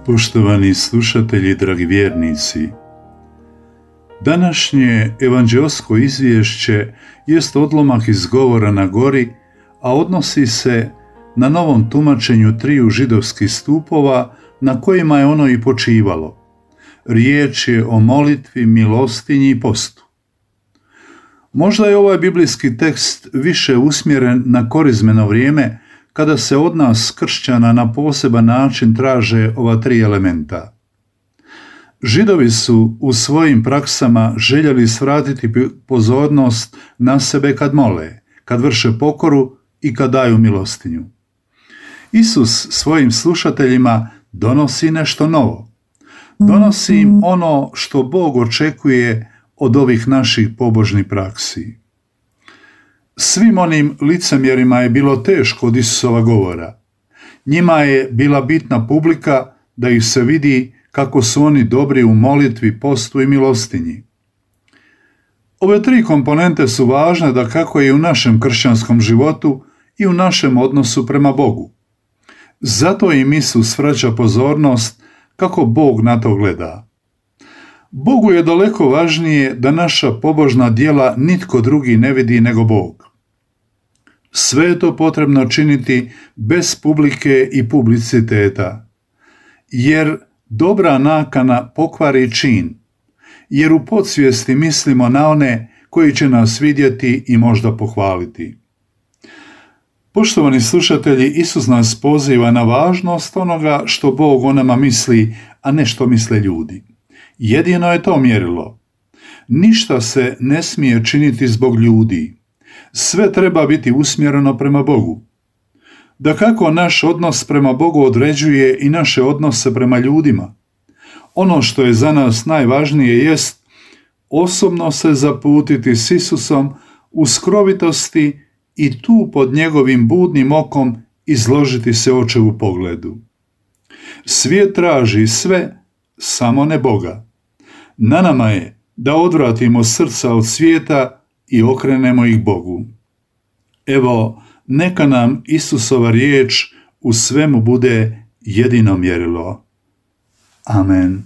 Poštovani slušatelji, dragi vjernici, današnje evanđeosko izvješće jest odlomak iz govora na gori, a odnosi se na novom tumačenju triju židovskih stupova na kojima je ono i počivalo. Riječ je o molitvi, milostinji i postu. Možda je ovaj biblijski tekst više usmjeren na korizmeno vrijeme, kada se od nas kršćana na poseban način traže ova tri elementa. Židovi su u svojim praksama željeli svratiti pozornost na sebe kad mole, kad vrše pokoru i kad daju milostinju. Isus svojim slušateljima donosi nešto novo. Donosi im ono što Bog očekuje od ovih naših pobožnih praksi. Svim onim licemjerima je bilo teško od Isusova govora. Njima je bila bitna publika da ih se vidi kako su oni dobri u molitvi, postu i milostinji. Ove tri komponente su važne da kako je u našem kršćanskom životu i u našem odnosu prema Bogu. Zato im Isus vraća pozornost kako Bog na to gleda. Bogu je daleko važnije da naša pobožna djela nitko drugi ne vidi nego Bog. Sve je to potrebno činiti bez publike i publiciteta, jer dobra nakana pokvari čin, jer u podsvijesti mislimo na one koji će nas vidjeti i možda pohvaliti. Poštovani slušatelji, Isus nas poziva na važnost onoga što Bog o nama misli, a ne što misle ljudi. Jedino je to mjerilo. Ništa se ne smije činiti zbog ljudi. Sve treba biti usmjereno prema Bogu. Dakako, naš odnos prema Bogu određuje i naše odnose prema ljudima. Ono što je za nas najvažnije jest osobno se zaputiti s Isusom u skrovitosti i tu pod njegovim budnim okom izložiti se očevu pogledu. Svijet traži sve, samo ne Boga. Na nama je da odvratimo srca od svijeta i okrenemo ih Bogu. Evo, neka nam Isusova riječ u svemu bude jedino mjerilo. Amen.